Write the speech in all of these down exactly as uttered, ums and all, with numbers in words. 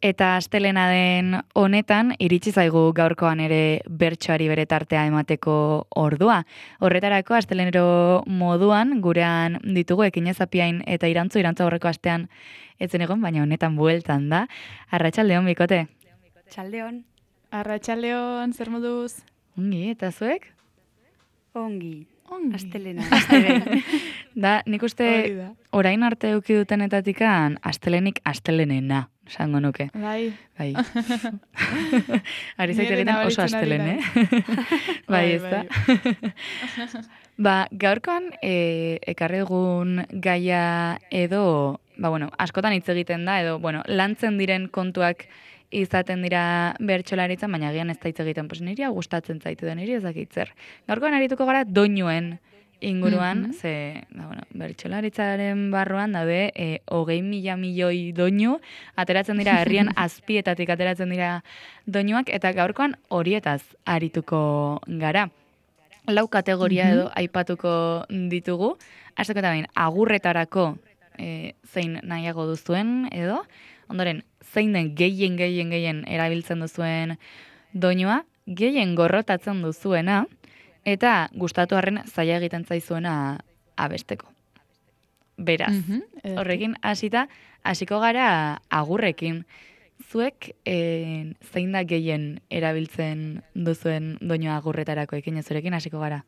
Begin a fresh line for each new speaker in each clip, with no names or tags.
Eta astelena den honetan, iritsi zaigu gaurkoan ere bertsoari bere tartea emateko ordua. Horretarako, astelenero moduan, gurean ditugu Ekinezapiain eta Irantzu, Irantzu aurreko astean etzen egon, baina honetan bueltan da. Arratsaldeon, bikote?
Txaldeon.
Arratsaldeon, zer moduz?
Ongi, eta zuek?
Ongi.
Ongi.
Astelena, astelen.
Da, nik uste orain arte eduki dutenetatikan astelenik astelenena, esango nuke.
Bai.
Bai. Ari zaite egiten oso astelen, eh? Bai, ez da. Ba, gaurkoan e, ekarri dugun gaia edo, ba, bueno, askotan hitz egiten da, edo, bueno, lantzen diren kontuak izaten dira bertsolaritzan, baina agian ez da hitz egiten, pues niri gustatzen zaitu da, niri ez dakit zer. Gaurkoan arituko gara doinuen inguruan, mm-hmm. ze, ba, bueno, bertsolaritzaren barruan daude, e, hogei mila milioi doinu, ateratzen dira herrian azpietatik ateratzen dira doinuak, eta gaurkoan horietaz arituko gara. Lau kategoria edo mm-hmm. aipatuko ditugu, hasteko eta behin, agurretarako e, zein nahiago duzuen edo, ondoren, zein den gehien, gehien, gehien erabiltzen duzuen doinua, gehien gorrotatzen duzuena, eta gustatu arren zaila egiten zaizuena abesteko. Beraz, mm-hmm. horrekin hasita, hasiko gara agurrekin. Zuek e, zein da gehien erabiltzen duzuen doinua agurretarako ekin zurekin hasiko gara?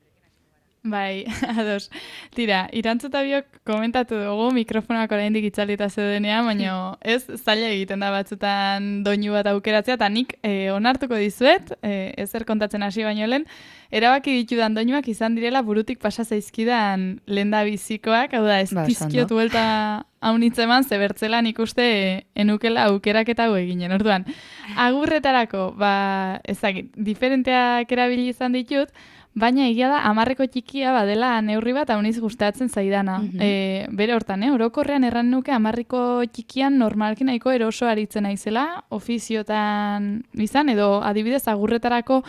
Bai, ados. Tira, Irantzu biok komentatu dugu mikrofonak oraindik itzalita zeudenean, baina ez zaila egiten da batzutan doinu bat aukeratzea, eta nik e, onartuko dizuet, e, ezer kontatzen hasi baino lehen, erabaki ditudan doinuak izan direla burutik pasa zaizkidan lendabizikoak, hau da, ez ba, tizkiot buelta haunitzeman, zebertzela nik uste enukela aukeraketa hau eginen. Orduan, agurretarako, ba, ezagit, diferenteak erabili izan ditut, baina egia da, hamarreko txikia badela neurri bat hauniz gustatzen zaidana. Mm-hmm. E, bere hortan, eh? Orokorrean erran nuke hamarreko txikian normalki nahiko eroso aritzen naizela, ofiziotan izan, edo adibidez agurretarako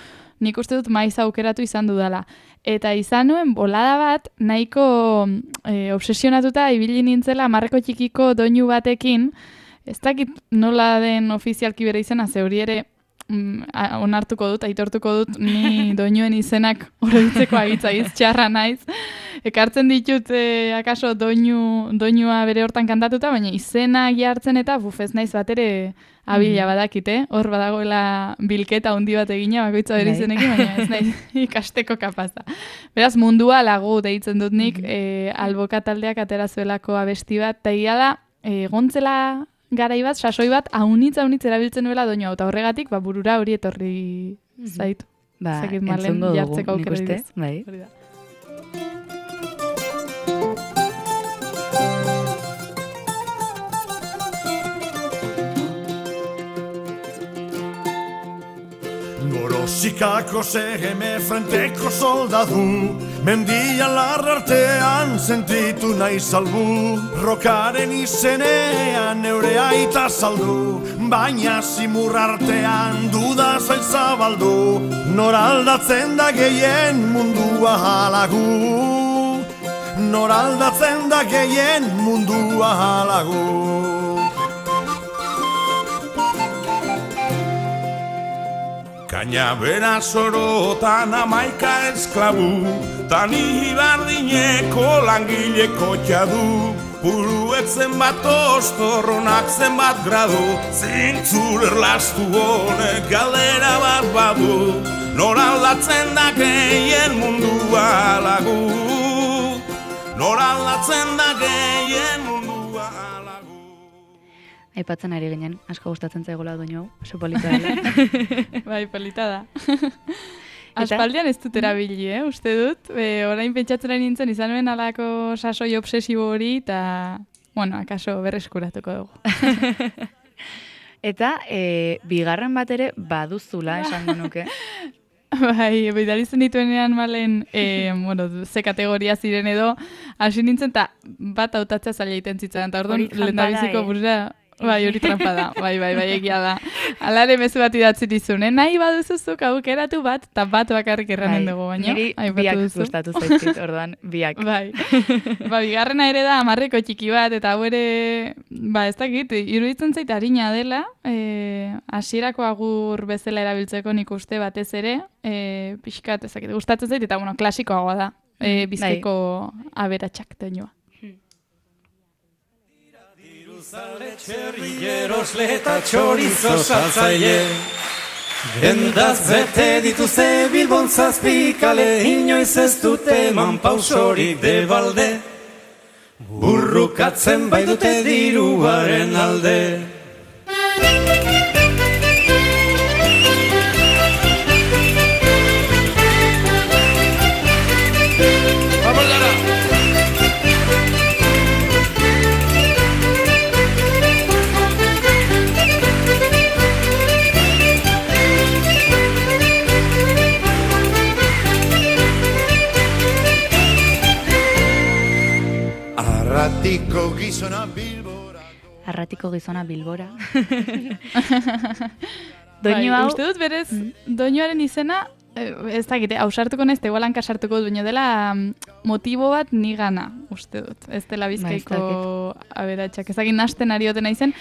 nik uste dut maiz aukeratu izan dudala. Eta izan nuen bolada bat nahiko e, obsesionatuta ibili nintzela hamarreko txikiko doinu batekin, ez dakit nola den ofizialki bere izena, zeuri ere onartuko dut, aitortuko dut, ni doinuen izenak oroitzeko agitzaiz, txarra naiz. Ekartzen ditut, e, akaso, doinu, doinua bere hortan kantatuta, baina izenak jartzen eta buf, ez naiz bat ere abila badakite. Hor badagoela bilketa handi bat egina, bakoitza bere izenekin, baina ez naiz ikasteko kapaza. Beraz, mundua lagu deitzen dut nik, e, alboka taldeak aterazuelako abesti bat, eta egia da, e, gontzela garai bat, sasoi bat, haunitz, haunitz erabiltzen nuela doinua, eta horregatik, ba, burura hori etorri zaitu.
Ba, entzungo dugu, nik uste, bai.
Gorozikako zegeme frenteko soldadu, mendian larrartean sentitu nahi salbu, rokaren izenean neure aita saldu, baina zimur artean duda zail zabaldu, nor aldatzen da gehien mundua halagu, nor aldatzen da gehien mundua halagu. Kaina bera sorotan amaika esklabu, tani hibardineko langileko txadu, puruetzen bat ostorronak zenbat gradu, zintzur erlastu honek galdera bat badu, nor aldatzen da gehien mundua halagu, nor aldatzen da gehien mundua halagu.
Aipatzen ari ginen, asko gustatzen zaigola doinu hau, oso polita dela.
Bai, polita da. Aspaldian ez dut erabili, eh? Uste dut, e, orain pentsatzen ari nintzen izan nuen alako sasoi obsesibo hori, eta, bueno, akaso berreskuratuko dugu.
Eta, e, bigarren bat ere baduzula, esango nuke.
Bai, bidalitzen dituenean malen, e, bueno, ze kategoria ziren edo, hasi nintzen, eta bat hautatzea zaila iten zitzen, eta orduan lehendabiziko burura Bai, hori trampa da. Bai, bai, bai, egia da. Alare mezu bat idatzi dizun, eh? Nahi baduzuzuk aukeratu bat, eta bat bakarrik erranen dugu, baina.
Niri biak gustatu zaizkit, orduan, biak.
Bai. Ba, bigarrena ere da hamarreko txiki bat, eta hau ere, ba, ez dakit, iruditzen zait harina dela, eh, hasierako agur bezala erabiltzeko nik uste batez ere, eh, pixkat, ez dakit, gustatzen zait, eta, bueno, klasikoagoa da, eh, Bizkaiko aberatsak doinua.
Zale txerrilleros leta txorizo saltzaile Dendaz bete dituze Bilbon zazpikale Inoiz ez dute eman pausorik de balde Burrukatzen baitute diruaren alde Arratiko gizona Bilbora
Arratiko gizona Bilbora.
Doinu hau... Uste dut berez, doinuaren izena, ez dakite, hausartuko nez, tegoelan kasartuko duño dela motibo bat nigana, uste dut. Ez dela Bizkaiko aberatsak. Ez dakit nasten ari otena izen.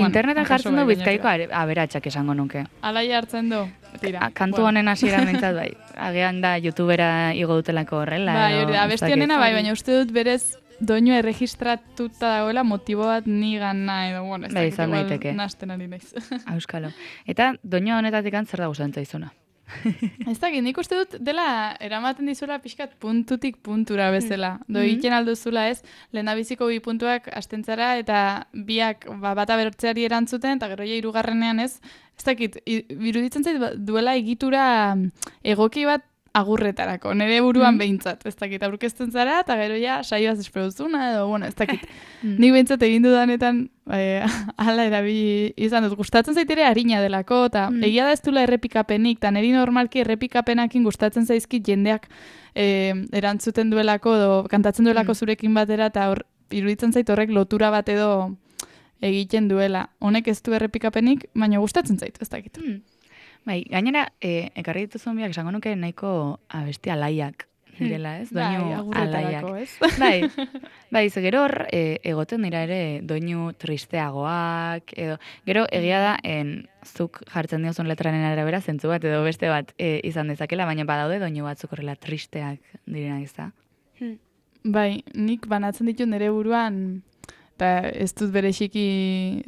Internetan jartzen du Bizkaiko aberatsak esango nuke.
Alaia hartzen du. Tira.
Kantu honen hasiera mentzat bai. Agian da youtubera igo dutelako horrela.
Bai, hori da, abesti honena bai, baina uste dut berez doinua erregistratuta dagoela motibo bat nigana edo, bueno, ez
bai,
dakit igual nasten ari naiz.
Auskalo. Eta doinua honetatik zer da gustatzen zaizuna?
Ez dakit, nik uste dut dela eramaten dizula pixkat puntutik puntura bezala. Do egiten alduzula ez, lehendabiziko bi puntuak astentzara eta biak ba, bata bertzeari erantzuten, eta gero ja hirugarrenean ez, ez dakit, iruditzen zait duela egitura egoki bat agurretarako, nire buruan behintzat, ez dakit, aurkezten zara, eta gero ja saioaz esperuzuna, edo, bueno, ez dakit. Nik behintzat egin dudanetan, eh, ala erabili izan dut, gustatzen zaitere harina delako, eta mm. egia da ez dula errepikapenik, eta niri normalki errepikapenakin gustatzen zaizkit jendeak eh, erantzuten duelako, edo kantatzen duelako mm. zurekin batera, eta hor, iruditzen zait horrek lotura bat edo egiten duela. Honek ez du errepikapenik, baina gustatzen zait, ez dakit.
Mm. Bai, gainera, e, ekarri dituzun biak, esango nuke nahiko abesti alaiak direla, ez? Doinu
bai,
alaiak.
Ez?
Bai, bai, ze gero hor, e, egoten dira ere doinu tristeagoak, edo, gero egia da, en, zuk jartzen diozun letraren arabera, zentzu bat edo beste bat e, izan dezakela, baina badaude doinu batzuk horrela tristeak direnak ez da?
Bai, nik banatzen ditu nire buruan, eta ez dut berexiki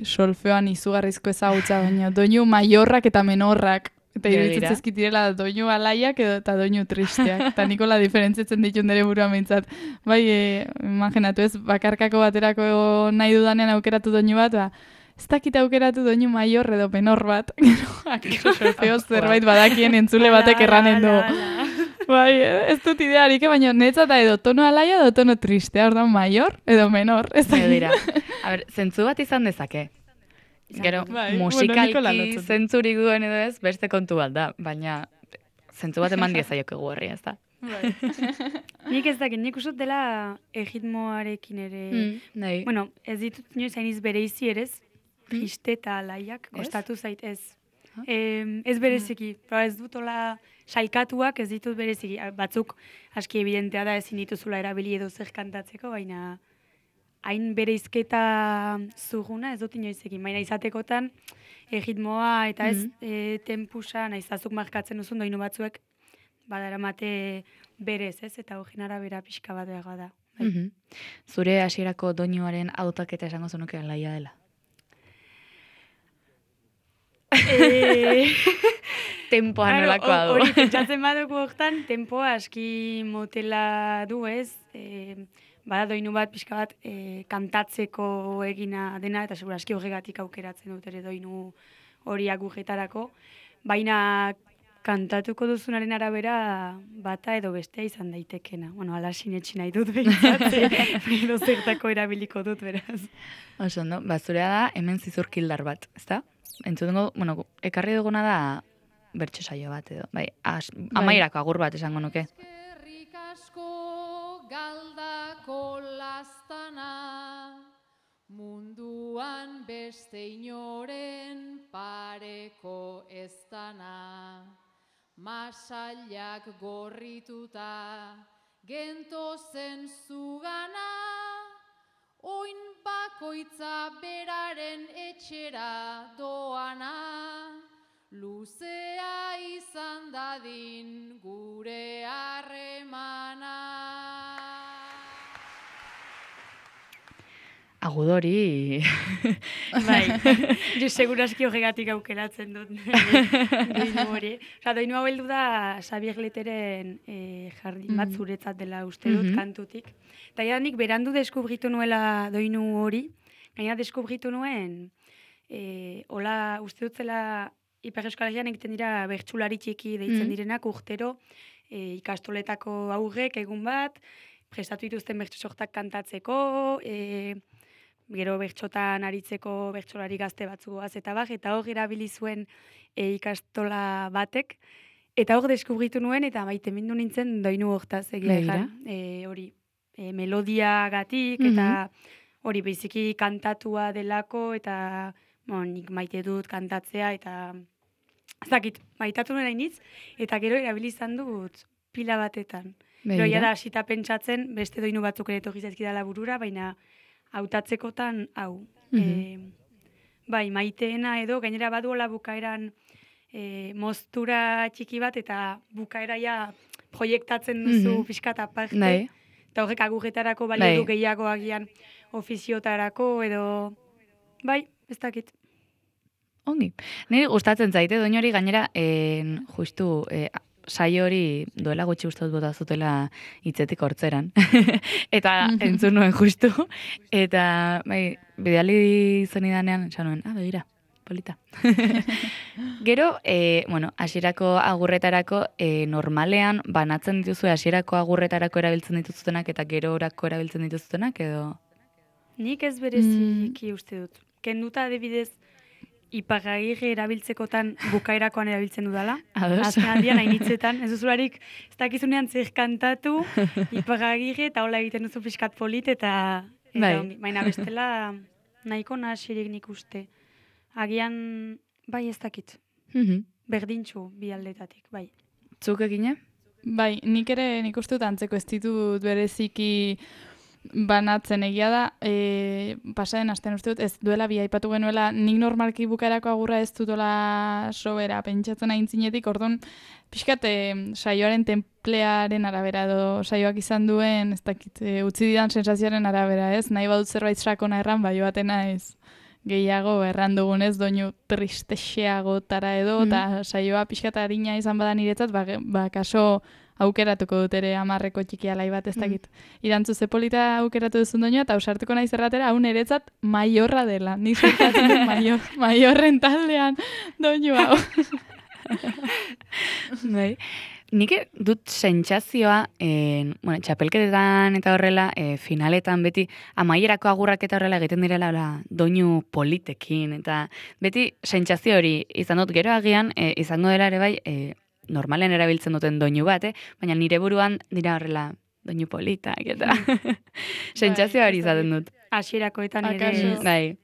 solfeoan izugarrizko ezagutza, baina doinu maiorrak eta menorrak. Eta iruditzen zezkit direla doinu alaiak edo eta doinu tristeak. Eta nikola diferentzitzen ditu nire buruan behintzat. Bai, e, imaginatu ez, bakarkako baterako nahi dudanean aukeratu doinu bat, ba, ez dakit aukeratu doinu maior edo menor bat. Gero, solfeo zerbait badakien entzule batek erranen du. Bai, ez dut idearik, baina netzat da edo tono alaia edo tono tristea, ordan maior edo menor. Ez da
dira. A ber, zentzu bat izan dezake. Gero, bai, musikalki bueno, zentzurik duen edo ez, beste kontu bat da, baina zentzu bat eman diezaiok egu horri, ez da.
Bai. Nik ez dakit, nik usut dela egitmoarekin ere,
mm, nahi.
Bueno, ez ditut inoiz hainiz bereizi erez, triste eta alaiak, kostatu zait ez. Eh, ez bereziki, mm. ez dut ola sailkatuak ez ditut bereziki, batzuk aski evidentea da ezin dituzula erabili edo zer kantatzeko, baina hain bereizketa zuguna ez dut inoizekin, baina izatekotan egitmoa eta ez mm. e, tempusa, nahizazuk markatzen duzun doinu batzuek badaramate berez, ez? Eta hogin arabera pixka bat behar da. Bai.
Mm-hmm. Zure hasierako doinuaren hautaketa esango zenuke alaia dela?
E...
Tempoa nolakoa du.
Hori, pentsatzen badugu hortan, tempoa aski motela du ez, e, bada doinu bat, pixka bat, e, kantatzeko egina dena, eta segura aski horregatik aukeratzen dut ere doinu hori agujetarako, baina kantatuko duzunaren arabera bata edo bestea izan daitekena. Bueno, ala sinetxi nahi dut behintzat, edo zertako erabiliko dut beraz.
Oso, no? Bazurea da, hemen zizurkildar bat, ezta? Entzutengo, bueno, ekarri duguna da bertso saio bat edo. Bai, as, amaierako agur bat esango nuke.
Eskerrik asko galdako lastana, Munduan beste inoren pareko ez dana, masailak gorrituta gentozen zugana, oin bakoitza beraren etxera doana, luzea izan dadin gure harremana.
Agudori.
Bai, jo seguraski horregatik aukeratzen dut doinu hori. Osa, doinu hau heldu da Xabier Leteren eh, jardin bat zuretzat dela uste dut
Mhm.
kantutik. Eta ja nik berandu deskubritu nuela doinu hori, gaina deskubritu nuen, eh, hola uste dut zela Ipar Euskal Herrian egiten dira bertsulari txiki deitzen
Mhm.
direnak urtero, eh, ikastoletako aurrek egun bat, prestatu dituzten bertso sortak kantatzeko, eh, gero bertxotan aritzeko bertsolari gazte batzuaz eta bar, eta hor erabili zuen e, ikastola batek, eta hor deskubritu nuen, eta maite mindu nintzen doinu hortaz egia
Begira.
egan, e, hori, e, melodiagatik, eta hori biziki kantatua delako, eta bon, nik maite dut kantatzea, eta ez dakit, maitatu nuen hainitz, eta gero erabili izan dut pila batetan. Gero
Begira.
jada hasita pentsatzen, beste doinu batzuk ere etorri zaizkidala burura, baina hautatzekotan hau.
Mhm.
E, bai, maiteena edo, gainera baduola bukaeran e, moztura txiki bat, eta bukaera ja proiektatzen duzu
Mhm.
pixkat aparte.
Bai.
Eta horrek agurretara balio
Bai.
du gehiago agian ofiziotarako edo... Bai, ez dakit.
Ongi. Niri gustatzen zaite doinu hori gainera en, justu eh, saio hori duela gutxi uste dut bota zutela hitzetik hortzeran. Eta entzun nuen justu. Eta bai, bidali zenidanean, esan nuen, ah, begira, polita. Gero, eh, bueno, hasierako agurretarako eh, normalean banatzen dituzue hasierako agurretarako erabiltzen dituzutenak eta gero orako erabiltzen dituzutenak edo...
Nik ez bereziki uste dut. Kenduta adibidez, Ipagagirre erabiltzekotan bukaerakoan erabiltzen dudala.
Ados.
Azken aldian hainitzetan, ez duzularik, ez dakizunean zer kantatu, Ipagagirre, eta hola egiten duzu pixkat polit, eta, eta
Bai.
ongi. Baina bestela nahiko nahasirik nik uste. Agian, bai ez dakit,
Mhm.
berdintxu bi aldetatik, bai.
Zuk egine?
Bai, nik ere nik uste dut antzeko ez ditut bereziki banatzen egia da, e, pasaden astean uste dut, ez duela bi aipatu genuela, nik normalki bukaerako agurra ez dutola sobera pentsatzen aintzinetik, orduan, pixkat e, saioaren templearen arabera edo saioak izan duen, ez dakit, e, utzi didan sensazioaren arabera, ez? Nahi badut zerbait sakona erran, bai batena ez gehiago erran dugunez, doinu tristexeagotara edo, eta saioa pixkat arina izan bada niretzat, ba, ge- ba kaso aukeratuko dut ere amarreko txiki alai bat, ez dakit. Irantzu zepolita aukeratu duzun doinua, eta ausartuko naiz erratera, hau niretzat maiorra dela. Nik zertatzen dut maior, maiorren taldean doinu hau.
Bai. Nik dut sentsazioa, en, bueno, txapelketetan eta horrela, e, finaletan beti amaierako agurrak eta horrela egiten direla hola, doinu politekin, eta beti sentsazio hori izan dut gero agian, e, izango dela ere bai, e, normalen erabiltzen duten doinu bat, eh? Baina nire buruan dira horrela doinu politak, eta sentsazio hori izaten dut.
Hasierakoetan ere,
Akaso-
Bai,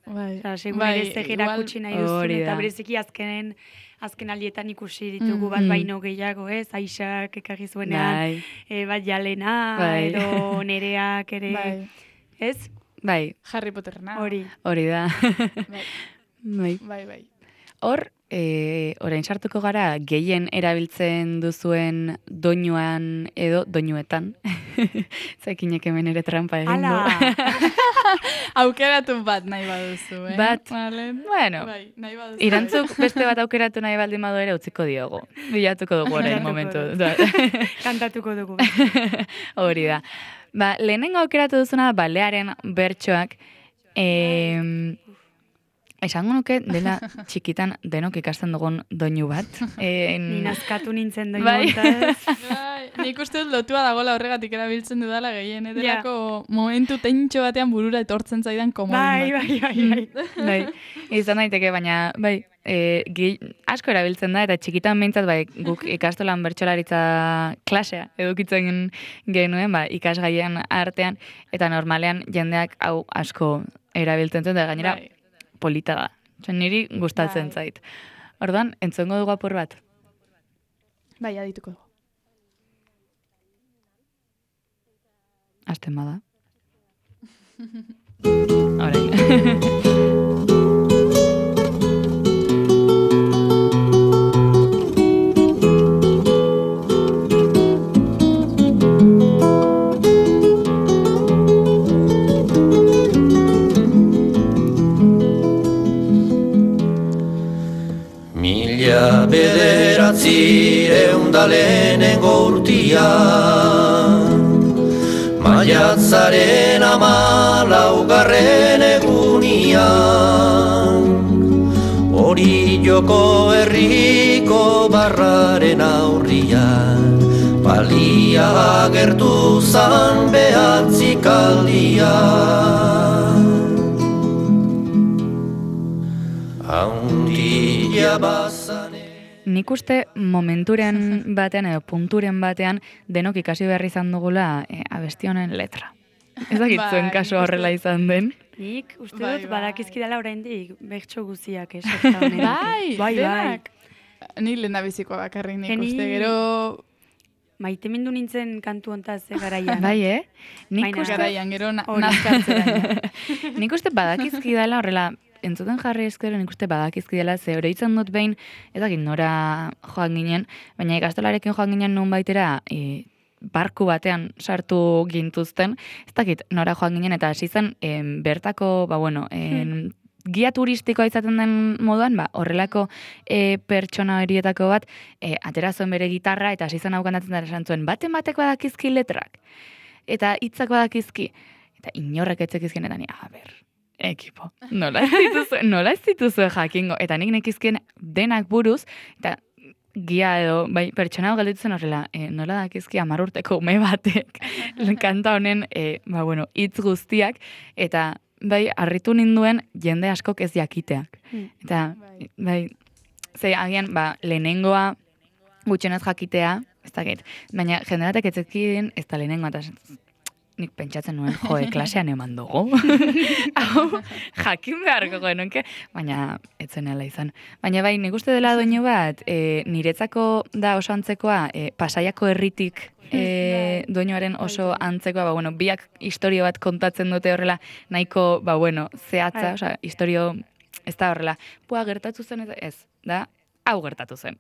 Bai,
Osea, segun
bai,
ere zer
igual-
erakutsi nahi duzun,
hori
eta
da.
bereziki azkenen, azken aldietan ikusi ditugu bat
Mm.
baino gehiago, ez? Aixak ekarri zuenean,
bai,
e, bat jalena,
Bai.
edo nereak ere,
bai,
ez?
bai,
Harry Potterna.
Hori.
hori da.
Bai,
Bai.
bai, bai.
Hor, e, orain sartuko gara gehien erabiltzen duzuen doinuan edo doinuetan. Zekinek hemen ere trampa egin du.
Ala!
Aukeratu bat nahi baduzu, eh?
Bat.
Vale.
Bueno,
Bai, nahi baduzu.
irantzuk beste bat aukeratu nahi baldin badu ere utziko diogu. Bilatuko dugu orain
Bilatuko
momentu.
dugu. Kantatuko dugu.
Hori da. Ba, lehenengo aukeratu duzuna balearen bertsoak, em, esango nuke dela txikitan denok ikasten dugun doinu bat. En,
Ni nazkatu nintzen doinu
Bai.
hontaz.
Bai. nik uste dut lotua dagoela horregatik erabiltzen dudala gehien edelako momentu tentxo batean burura etortzen zaidan komodin
Bai,
bat.
bai, bai, bai.
Bai, izan daiteke, baina, bai, e, gehi, asko erabiltzen da, eta txikitan behintzat, bai, guk ikastolan bertsolaritza klasea edukitzen genuen, ba, ikasgaien artean, eta normalean jendeak hau asko erabiltzen zuen, eta gainera
Bai.
polita da. Zen niri gustatzen
Bai.
zait. Orduan, entzongo dugu apur bat.
Bai, adituko dugu.
Azten bada. Orain.
Mila bederatzireun da lehenengo urtia, maiatzaren amalaugarren egunian, hori joko herriko barraren aurrian, palia agertu zan behatzikaldian. Haundila bazane.
Nik uste momenturen batean edo punturen batean denok ikasi behar izan dugula e, abesti honen letra. Ez dakit
Bai,
zuen
nik
kaso
uste-
horrela izan den.
Nik uste
Bai,
dut
bai.
badakizkidala oraindik bertso guziak esakta honenak.
Bai,
bai, bai.
denak. Ni lehen da bizikoa bakarrik nik
Eni-
uste, gero
Maite mindu nintzen kantu hontaz ze garaian.
Bai, eh? Nik
Baina-
uste,
garaian, gero na,
Hori.
nazkartzeraino.
nik uste badakizki dela horrela, entzuten jarri ezkero nik uste badakizki dela, ze oroitzen dut behin, ez dakit nora joan ginen, baina ikastolarekin joan ginen nun baitera, e, barku batean sartu gintuzten, ez dakit nora joan ginen, eta hasi zen em, bertako, ba bueno, em, gia turistikoa izaten den moduan, ba, horrelako e, pertsona horietako bat, e, atera zuen bere gitarra, eta hasi zen hau kantatzen da esan zuen, baten bateko badakizki letrak, eta hitzak badakizki, eta inorrek etzekizkien, eta ni, a ber, ekipo, nola ez dituzue, nola ez dituzue jakingo, eta nik nekizkien denak buruz, eta gia edo, bai, pertsona hau galditzen horrela, e, nola dakizki hamar urteko ume batek kanta honen, e, ba, bueno, hitz guztiak, eta bai, harritu ninduen jende askok ez jakiteak.
Mm.
Eta,
Bai.
bai, ze agian, ba, lehenengoa gutxenez jakitea, ez dakit, baina jende batek etzekien ez da lehenengoa, eta nik pentsatzen nuen, joe, klasean eman dugu. Hau, jakin beharko genuke, baina ez zenela izan. Baina bai, nik uste dela doinu bat, e, niretzako da oso antzekoa, e, Pasaiako herritik e, doinuaren oso antzekoa, ba, bueno, biak historio bat kontatzen dute horrela, nahiko, ba, bueno, zehatza,
Bai.
osea, historio, ez da horrela, pua, gertatu zen, ez, ez, da, hau gertatu zen.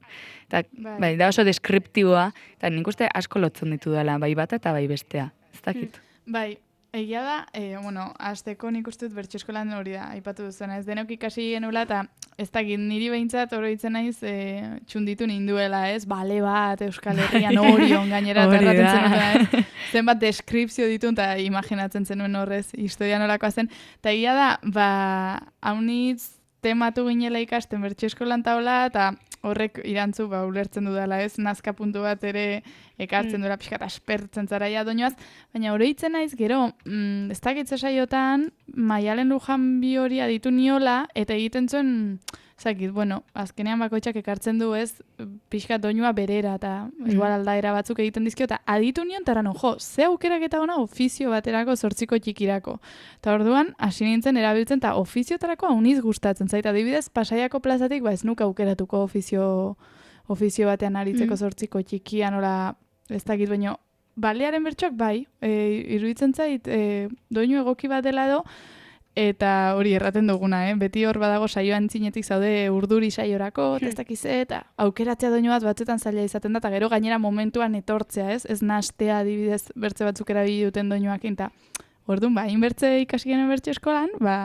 Eta,
Bai.
bai, da oso deskriptiboa, eta nik uste asko lotzen ditu dela, bai bata eta bai bestea. Ez dakit.
Bai, egia da, e, bueno, azteko nik uste dut bertso eskolan hori da, aipatu duzuna, ez denok ikasi genula, eta ez dakit niri behintzat oroitzen naiz e, txunditu ninduela, ez, bale bat, Euskal Herrian Orion gainera,
Hori
terraten
da.
zenuten, ez, zenbat deskripzio ditu, eta imaginatzen zenuen horrez, historia nolakoa zen, eta egia da, ba, haunitz tematu ginela ikasten bertso eskolan taula, eta horrek irantzu, ba, ulertzen dudala, ez, nazka puntu bat ere ekartzen
Mm.
duela pixkat aspertzen zaraia doinoaz, baina oroitzen naiz gero, mm, ez dakitze saiotan, Maialen Lujan bi hori aditu niola, eta egiten zuen, zakit, bueno, azkenean bakoitzak ekartzen du ez, pixkat doinua berera, eta igual aldaera batzuk egiten dizkio, eta aditu nion, eta erano, jo, ze aukerak eta ona ofizio baterako zortziko txikirako. Eta orduan, hasi nintzen erabiltzen, eta ofiziotarako hauniz gustatzen zait, adibidez, Pasaiako plazatik, ba ez nuk aukeratuko ofizio, ofizio batean aritzeko
Mm.
zortziko txikia, nola, ez dakit, baino, balearen bertsoak bai, e, iruditzen zait, e, doinu egoki bat dela edo, eta hori erraten duguna, eh? Beti hor badago saioan txinetik zaude urduri saiorako, eta ez dakize, eta aukeratzea doinu bat batzuetan zaila izaten da, eta gero gainera momentuan etortzea, ez? Ez nastea adibidez bertze batzuk erabili duten doinuakin, eta orduan, ba, inbertze ikasi genuen bertso eskolan, ba,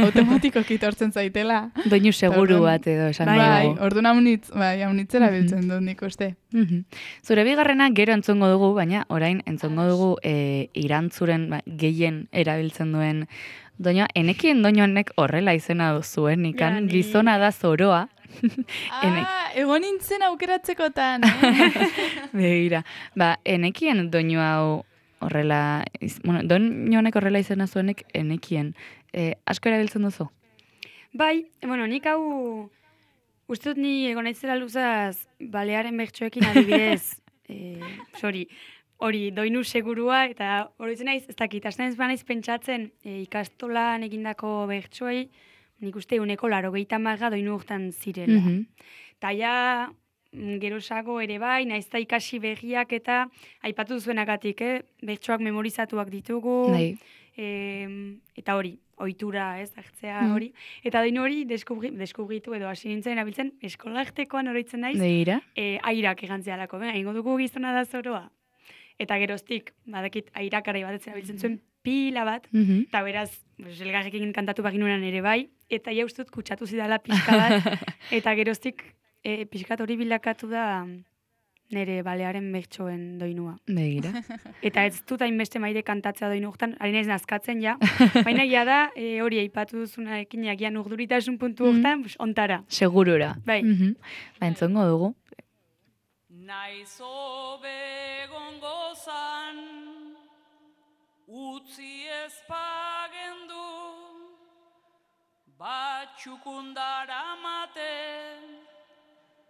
automatikoki etortzen zaitela.
Doinu seguru
Orduan-
bat edo esan
Bai,
dugu.
orduan haunitz, bai, haunitzera biltzen dut nik uste.
Mhm. Zure bigarrena gero entzongo dugu, baina orain entzongo dugu e, irantzuren ba, gehien erabiltzen duen doinoa, enekien doinu honek horrela izena zuen, ikan,
Ja, ni-
gizona da zoroa. Enek.
Ah, egon nintzen aukeratzekotan, eh?
Begira, ba, enekien doinu hau horrela, iz, bueno, doinu honek horrela izena zuenek enekien. E, asko erabiltzen duzu?
Bai, bueno, nik hau, uste dut ni egon naizela luzaz, balearen bertsoekin adibidez, e, sorry, hori, doinu segurua, eta hori zen naiz, ez dakit, asten ez banaiz pentsatzen e, ikastolan egindako bertsoei, nik uste uneko laro gehieta maga doinu hortan zirela.
Mhm.
Eta ja, mm, gerosago ere bai, naizta ikasi begiak eta aipatu zuenagatik, eh? Bertsoak memorizatuak ditugu,
Bai.
em, eta hori, ohitura, ez, hartzea
Mm.
hori. Eta doinu hori deskubri, deskubritu edo hasi nintzen erabiltzen eskolartekoan oroitzen naiz,
Begira.
e, airak egantzialako, ben, egingo dugu gizona da zoroa. Eta geroztik, badakit airakara bat erabiltzen zuen pila bat,
Mhm.
eta beraz, pues, elgarrekin kantatu baginunan ere bai, eta ja ustut kutsatu zidala pixka bat, eta geroztik e, pixkat hori bilakatu da nire balearen bertsoen doinua.
Begira.
Eta ez dut hainbeste maide kantatzea doinu hortan, ari naiz nazkatzen ja, baina ja da, e, hori aipatu duzuna ekin jakian urduritasun puntu hortan, pues, ontara.
Segurura.
Bai.
Mhm. Ba, entzongo dugu.
Naiz hobe gongozan, utzi ezpagendu, batxukundara maten,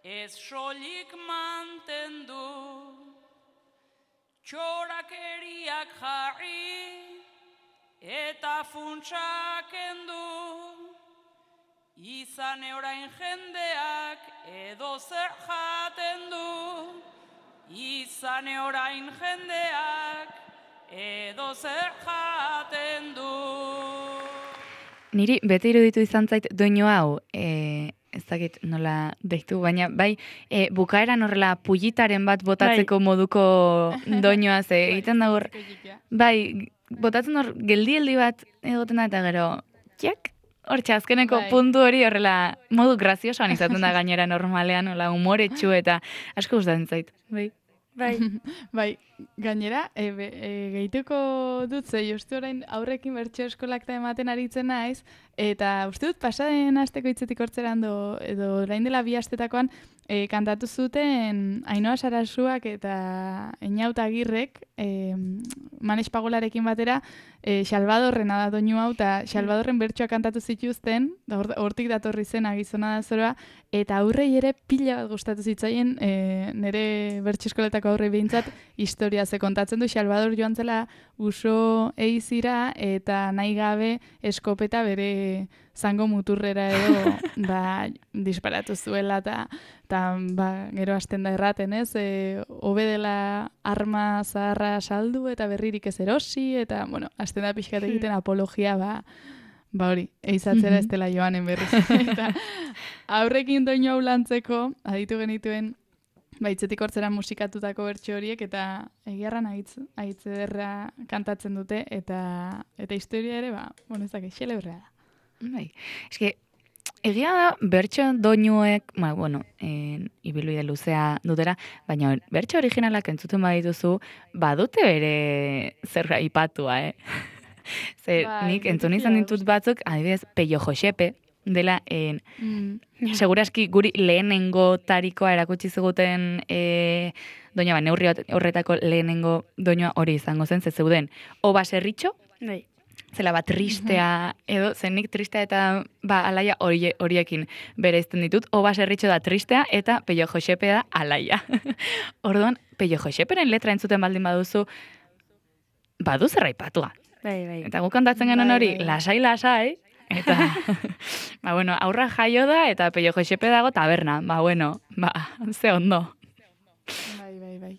ez soilik mantendu, txorakeriak jarri, eta funtsak endu, izan orain jendeak edo zer jaten du, izan orain jendeak edo zer jaten du.
Niri bete iruditu izan zait doinu hau, e, ez dakit nola deitu, baina bai, e, bukaeran horrela pujitaren bat botatzeko moduko doinua ze egiten da hor, bai, botatzen hor geldi-geldi bat egoten da eta gero, txak, hor azkeneko
Bai.
puntu hori horrela modu graziosoan izaten da gainera normalean, hola humoretsu eta asko gustatzen zait. Bai.
Bai,
Bai, gainera, e, be, e, gehituko dut, ze justu orain aurrekin bertso eskolak eta ematen aritzen naiz, eta uste dut pasaden asteko hitzetik hortzerando, edo orain dela bi astetakoan, e, kantatu zuten Ainhoa Sarasuak eta Eñauta Agirrek, e, Manes Pagolarekin batera, e, Salvadorrena da doinu hau, eta Salvadorren bertsoak kantatu zituzten, da hor- hortik datorri zena gizona da zoroa, eta aurrei ere pila bat gustatu zitzaien, e, nire bertso eskoletako aurrei behintzat, historia ze kontatzen du Salvador joan zela uso eizira eta nahi gabe eskopeta bere zango muturrera edo ba, disparatu zuela eta ta, ba, gero hasten da erraten, ez? E, hobe dela arma zaharra saldu eta berririk ez erosi eta, bueno, hasten da pixkat egiten apologia, ba, ba hori, eizatzera ez dela joanen berriz. Eta aurrekin doinu hau lantzeko, aditu genituen baitzetik hortzera musikatutako bertso horiek eta egiarran aitz, aitz ederra kantatzen dute eta eta historia ere, ba, bueno, ez dakit, xelebrea da.
Bai. Eske, egia da bertso doinuek, ba, bueno, en, ibilbide luzea dutera, baina bertso originalak entzuten badituzu, badute bere zer aipatua, eh? Ze,
Bai,
nik
beti
entzun izan
da
ditut batzuk, adibidez, Peio Josepe, dela, en,
Mm.
seguraski guri lehenengo tarikoa erakutsi ziguten e, doina, ba, neurri horretako lehenengo doinua hori izango zen, ze zeuden, o baserritxo,
bai.
zela bat tristea, edo zenik tristea eta ba, alaia horie, horiekin bereizten ditut, o baserritxo da tristea eta Peio Josepe da alaia. Orduan, Peio Joseperen letra entzuten baldin baduzu, badu zer aipatua.
Bai, bai.
Eta guk kantatzen genuen
Bai,
hori,
bai, bai.
lasai, lasai, eta, ba, bueno, aurra jaio da, eta Peio Josepe dago taberna, ba, bueno, ba, ze ondo.
Bai, bai, bai.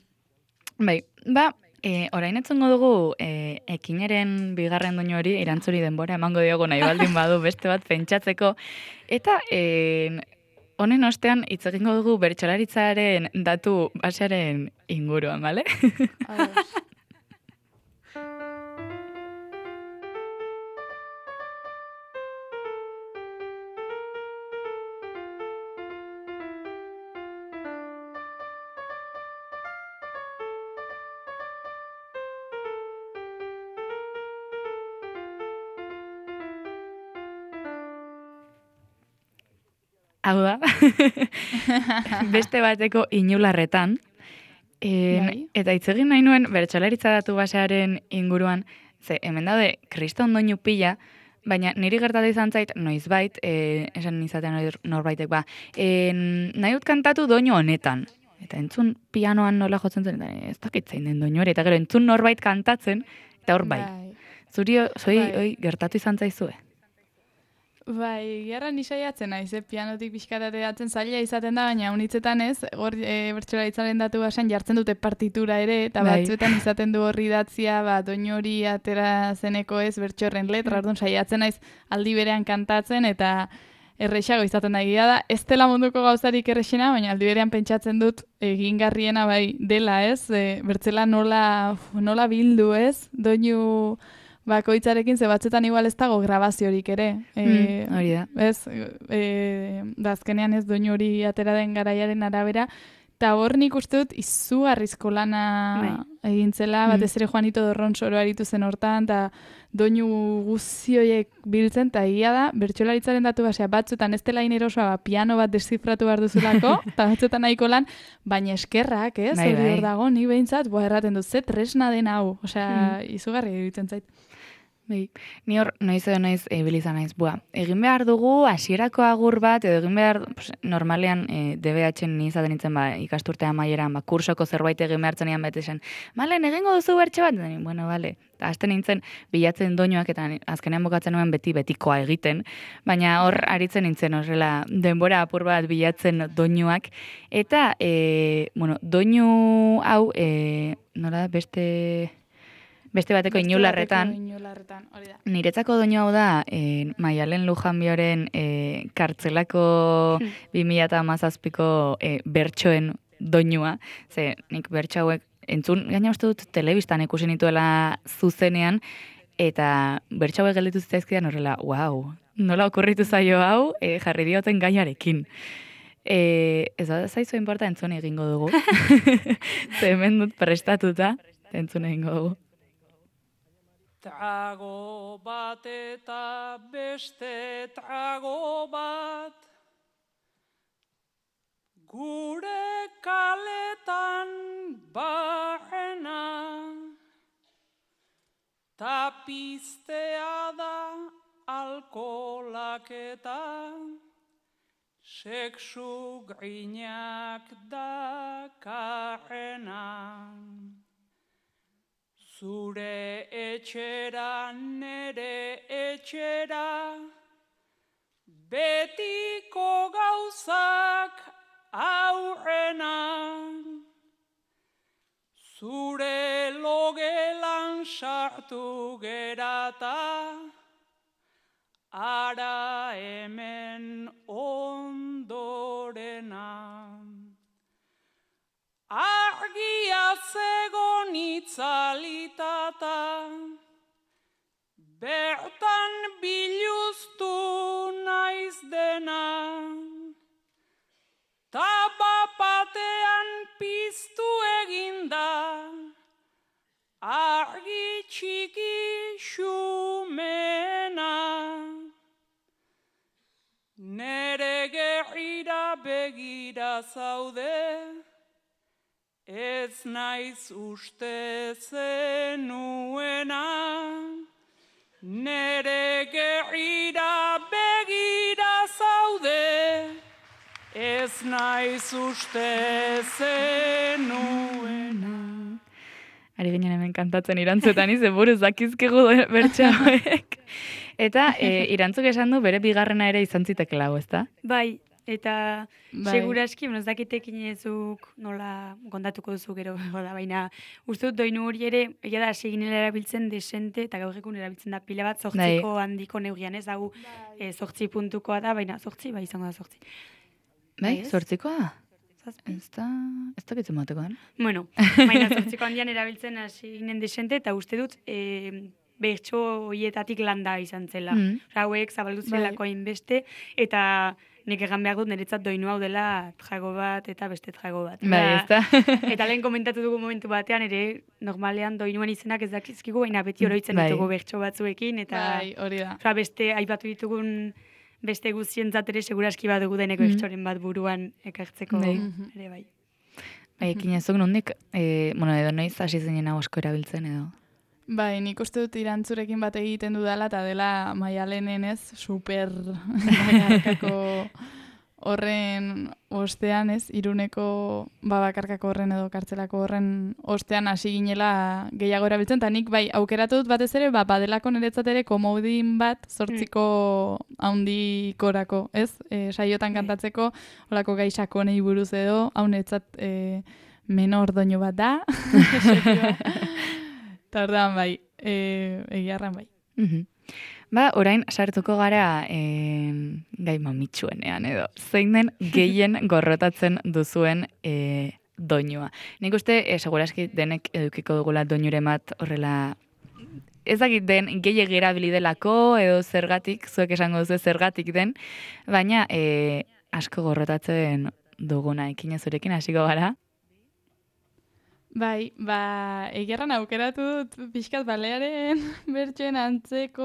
Bai, ba, e, orain etzungo dugu e, ekinaren bigarren doinu hori, irantzuri denbora emango diogu nahi baldin badu beste bat pentsatzeko, eta e, honen ostean hitz egingo dugu bertsolaritzaren datu basearen inguruan, bale?
Ados.
hau da, beste bateko inularretan, en,
Bai.
eta hitz egin nahi nuen bertsolaritza datu basearen inguruan, ze hemen daude kriston doinu pila, baina niri gertatu izan zait noizbait, e, esan izatean norbaitek ba, en, nahi dut kantatu doinu honetan. Eta entzun pianoan nola jotzen zen, eta ez dakit zein den doinu hori, eta gero entzun norbait kantatzen, eta hor bai. Zuri, zoi,
Bai.
oi, gertatu izan zaizue?
Bai, gerra ni saiatzen naiz, eh? Pianotik pixkatateatzen zaila izaten da, baina unitzetan ez, hor e, bertsolaritzaren datu basean jartzen dute partitura ere, eta
Bai.
batzuetan izaten du horri idatzia, ba, doinu hori atera zeneko ez bertsorren letra, orduan saiatzen naiz aldi berean kantatzen, eta errexago izaten da egia da. Ez dela munduko gauzarik errexena, baina aldi berean pentsatzen dut egingarriena bai dela, ez? E, bertzela nola, nola bildu, ez? Doinu bakoitzarekin, ze batzuetan igual ez dago grabaziorik ere. E,
Mm, hori da.
Ez, e, da azkenean ez doinu hori atera den garaiaren arabera, eta hor nik uste dut izugarrizko lana egin zela,
Mm.
batez ere Juanito Dorronsoro aritu zen hortan, eta doinu guzioiek biltzen, eta egia da, bertsolaritzaren datu basea batzuetan ez dela inerosoa, ba, piano bat deszifratu behar duzulako, eta batzuetan nahiko lan, baina eskerrak, ez?
Bai,
Hori
bai.
hor dago, ni behintzat, boa erraten dut, ze tresna den hau, osea, izugarri iruditzen zait.
Bai, ni hor noiz edo noiz ibili izan naiz. Bua, egin behar dugu hasierako agur bat edo egin behar, pues, normalean e, D B H-en ni izaten nintzen ba ikasturte amaieran, ba kursoko zerbait egin behartzenean bete zen. Malen, egingo duzu bertso bat? Eta ni, bueno, vale. Eta hasten nintzen bilatzen doinuak eta ni- azkenean bukatzen nuen beti betikoa egiten, baina hor aritzen nintzen horrela denbora apur bat bilatzen doinuak eta e, bueno, doinu hau e, nola da beste beste bateko inularretan.
Beste bateko inularretan, hori da.
Niretzako doinu hau da, e, Maialen Lujanbioren e, kartzelako bi mila hamazazpiko e, bertsoen doinua. Ze, nik bertso hauek entzun, gaina uste dut telebistan ikusi nituela zuzenean, eta bertso hauek gelditu zitzaizkidan horrela, wow, nola okurritu zaio hau, e, jarri dioten gaiarekin. E, ez da zaizu inporta entzun egingo dugu. Ze hemen dut prestatuta, entzun egingo dugu.
Trago bat eta beste trago bat, gure kaletan barrena, tapiztea da alkolak eta sexu grinak dakarrena. Zure etxera, nere etxera, betiko gauzak aurrena. Zure logelan sartu gerata, ara hemen ondorena. Argia zegon itzalitata, bertan biluztu naiz dena, ta bapatean piztu eginda, argi txiki xumena. Nere gerrira begira zaude, ez naiz uste zenuena, nere gerrira begira zaude, ez naiz uste zenuena.
Ari ginen hemen kantatzen irantzuetan izen buruz dakizkigu bertso hauek. Eta e, irantzuk esan du bere bigarrena ere izan zitekela hau, ezta?
Bai, eta
Bai.
seguraski, bueno, ez dakitekin ezuk nola kontatuko duzu gero, da, baina uste dut doinu hori ere, egia da, seginela erabiltzen desente, eta gaur egun erabiltzen da pila bat zortziko handiko neugian, ez dago e, zortzi puntukoa da, baina zortzi, bai izango da zortzi.
Bai,
Ez?
zortzikoa da?
Zazpi?
Ez da, ez da gitzen batekoan.
Bueno, baina zortziko handian erabiltzen hasi ginen desente, eta uste dut e, bertso hoietatik landa izan zela.
Mm.
Osea, hauek zabaldu zelako hainbeste, eta nik egan behar dut niretzat doinu hau dela trago bat eta beste trago bat.
Bai,
Eta-
ez da.
Eta lehen komentatu dugu momentu batean, ere normalean doinuen izenak ez dakizkigu, baina beti oroitzen
Bai.
ditugu bertso batzuekin, eta
Bai, hori da.
osea, beste aipatu ditugun beste guztientzat ere seguraski badugu deneko
Mhm.
ekstoren bat buruan ekartzeko
Bai.
ere bai.
Bai, ekin ezuk nondik, e, bueno, edo noiz hasi zinen hau asko erabiltzen edo.
Bai, nik uste dut irantzurekin bat egiten dudala, eta dela Maialenen ez, super bakarkako horren ostean, ez, Iruneko babakarkako horren edo kartzelako horren ostean hasi ginela gehiago erabiltzen, eta nik bai aukeratu dut batez ere, ba, badelako niretzat ere komodin bat zortziko haundikorako, ez? E, saiotan kantatzeko, olako gai sakonei buruz edo, hau niretzat e, menor doinu bat da, eta orduan bai, e, egiarran bai.
Mhm. Ba, orain sartuko gara e, gai mamitsuenean edo. Zein den gehien gorrotatzen duzuen e, doinua. Nik uste, e, seguraski denek edukiko dugula doinure bat horrela ez dakit den gehiegi erabili delako edo zergatik, zuek esango duzu zergatik den, baina e, asko gorrotatzen duguna ekin zurekin hasiko gara.
Bai, ba, egiarran aukeratu dut pixkat balearen bertsoen antzeko